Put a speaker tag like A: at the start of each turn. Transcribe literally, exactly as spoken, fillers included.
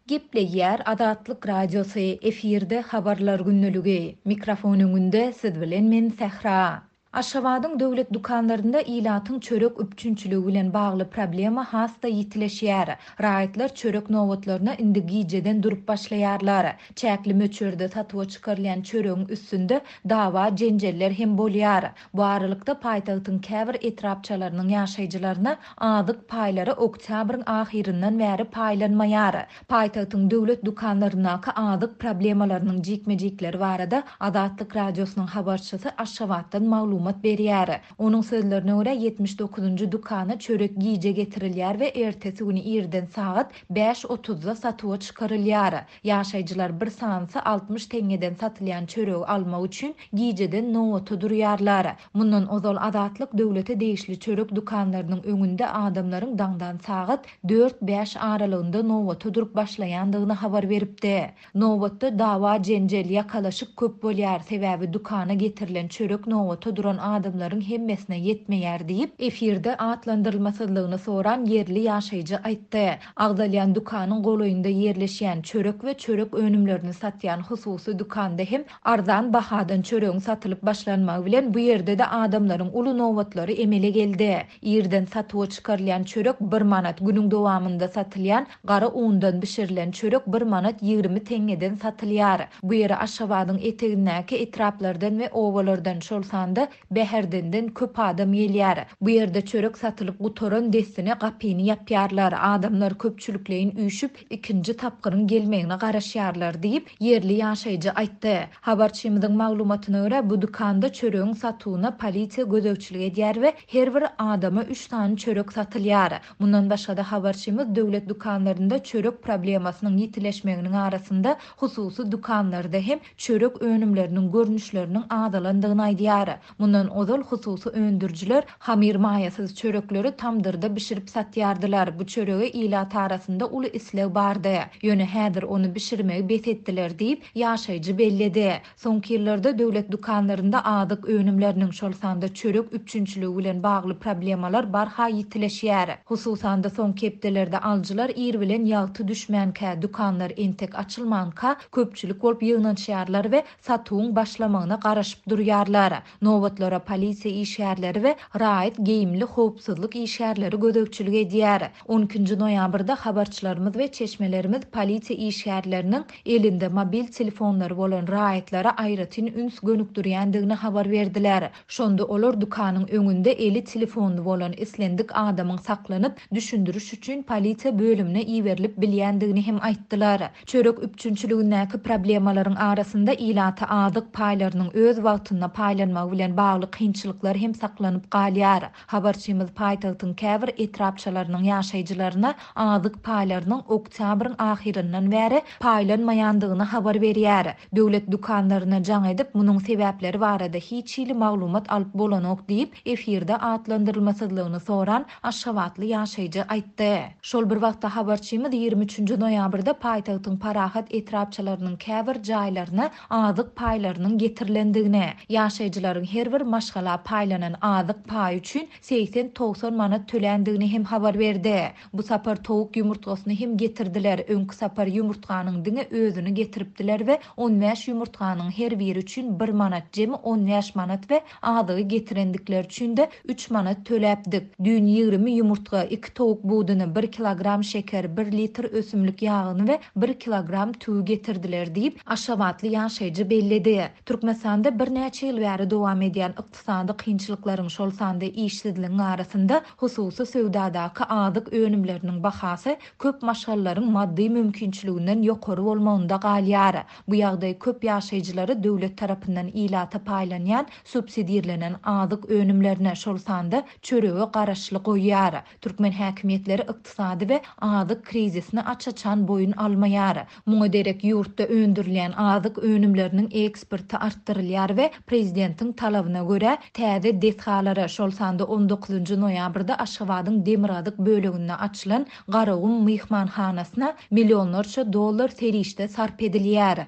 A: Gepleýär Azatlyk Radiosy, efirde Habarlar gündeligi. Mikrofon öňünde siz bilen men Sähra. Aşgabadyň döwlet dükanlarynda ilatyň çörek üpjünçiligi bilen bagly problema has-da ýitileşýär. Raýatlar çörek nobatlaryna indi gijeden durup başlaýarlar. Çäkli möçberde satuwa çykarylýan çöregiň üstünde dawa jenjeller hem bolýar. Bu aralykda paýtagtyň käbir etrapçalarynyň ýaşaýjylaryna azyk paýlary oktýabryň ahyryndan bäri paýlanmaýar. Paýtagtyň döwlet dükanlaryndaky azyk problemalarynyň jikme-jikleri barada Azatlyk Radiosynyň habarçysy Aşgabatdan maglumat berýär. Onuň sözlerine görä ýetmiş dokuzynjy dükana çörek gije getirilýär we ertesi güni irden sagat bäş otuzda satuwa çykarylýar. Ýaşaýjylar bir sanysy altmyş teňňeden satylýan çöregi almak üçin gijeden nobata durýarlar. Mundan ozal Azatlyk döwlete degişli çörek dükanlarynyň öňünde adamlaryň daňdan sagat dört-bäş aralygynda nobata durup başlaýandygyny habar beripdi. Nobatda dawa jenjel, ýakalaşyk köp bolýar, sebäbi dükana getirilen çörek nobata duran adamlaryň hemmesine ýetmeýär diýip, efirde atlandyrylmasyzlygyny soran ýerli ýaşaýjy aýtdy. Agzalýan dükanyň golaýynda ýerleşýän çörek we çörek önümlerini satýan hususy dükanda hem arzan bahadan çöregiň satylyp başlanmagy bilen bu ýerde-de adamlaryň uly nobatlary emele geldi. Irden satuwa çykarylýan çörek bir manat, günüň dowamynda satylýan gara undan bişirilen çörek bir manat ýigrimi teňňeden satylýar. Bu ýere Aşgabadyň etegindäki etraplardan we obalardan, şol sanda Bäherdenden köp adam gelýär. Bu ýerde çörek satylyp gutaran dessine gapyny ýapýarlar. Adamlar köpçülikleýin üýşüp, ikinji tapgyryň gelmegine garaşýarlar diýip, ýerli ýaşaýjy aýtdy. Habarçymyzyň maglumatyna görä, bu dükanda çöregiň satuwyna polisiýa gözegçilik edýär we her bir adama üç sany çörek satylýar. Mundan başga-da habarçymyz döwlet dükanlarynda çörek problemasynyň ýitileşmeginiň arasynda hususy dükanlarda hem çörek önümleriniň görnüşleriniň azalandygyny aýdýar. Mundan ozal hususy öndürijiler hamyr maýasyz çörekleri tamdyrda bişirip satýardylar. Bu çörege ilat arasynda uly isleg bardy. Ýöne häzir ony bişirmegi bes etdiler diýip, ýaşaýjy belledi. Soňky ýyllarda döwlet dükanlarynda azyk önümleriniň, şol sanda çörek üpjünçiligi bilen bagly problemalar barha ýitileşýär. Hususan-da soňky hepdelerde alyjylar ir bilen ýagty düşmänkä, dükanlar entek açylmanka köpçülik bolup ýygnanyşýarlar we satuwyň başlamagyna garaşyp durýarlar. Nobatlara polisiýa işgärleri we raýat geýimli howpsuzlyk işgärleri gözegçilik edýär. on ikinji noýabrda habarçylarymyz we çeşmelerimiz polisiýa işgärleriniň elinde mobil telefonlary bolan raýatlara aýratyn üns gönükdirýändigini habar berdiler. Şonda olar dükanyň öňünde eli telefonly bolan islendik adamyň saklanyp, düşündiriş üçin polisiýa bölümine iberilip bilýändigini hem aýtdylar. Çörek üpjünçiligindäki problemalaryň arasynda ilata azyk paýlarynyň öz wagtynda paýlanmagy bilen bagly kynçylyklar hem saklanyp galýar. Habarçymyz paýtagtyň käbir etrapçalarynyň ýaşaýjylaryna azyk paýlarynyň oktýabryň ahyryndan bäri paýlanmaýandygyny habar berýär. Döwlet dükanlaryna jaň edip, munuň sebäpleri barada hiç hili maglumat alyp bolanok diýip, efirde atlandyrylmasyzlygyny soran Aşgabatly ýaşaýjy aýtdy. Şol bir wagtda habarçymyz ýigrimi üçünji noýabrda paýtagtyň Parahat etrapçalarynyň käbir jaýlaryna azyk paýlarynyň getirilendigini, ýaşaýjylaryň her bir maşgala paýlanan azyk paýy üçin segsen togsan manat töländigini hem habar berdi. Bu sapar towuk ýumurtgasyny hem getirdiler. Öňki sapar ýumurtganyň diňe özüni getiripdiler we on bäş ýumurtganyň her biri üçin bir manat, jemi on bäş manat we azygy getirendikleri üçin de üç manat töläpdik. Düýn ýigrimi ýumurtga, iki towuk buduny, bir kilogram şeker, bir litr ösümlik ýagyny we bir kilogram tüwi getirdiler diýip, Aşgabatly ýaşaýjy belledi. Türkmenistanda birnäçe ýyl bäri dowam edýän ykdysady kynçylyklaryň, şol sanda işsizligiň arasynda hususy söwdadaky azyk önümleriniň bahasy köp maşgalalaryň maddy mümkinçiliginden ýokary bolmagynda galýar. Bu ýagdaý köp ýaşaýjylary döwlet tarapyndan ilata paýlanýan subsidirlenen azyk önümlerine, şol sanda çörege garaşly goýýar. Türkmen häkimiýetleri ykdysady we azyk krizisini aç-açan boýun almaýar. Muňa derek ýurtda öndürilýän azyk önümleriniň eksporty artdyrylýar we prezidentiň talabyna görä täze desgalara, şol sanda on dokuzynjy noýabrda Aşgabadyň demirgazyk böleginde açylan Garagum myhmanhanasyna millionlarça dollar serişde sarp edilýär.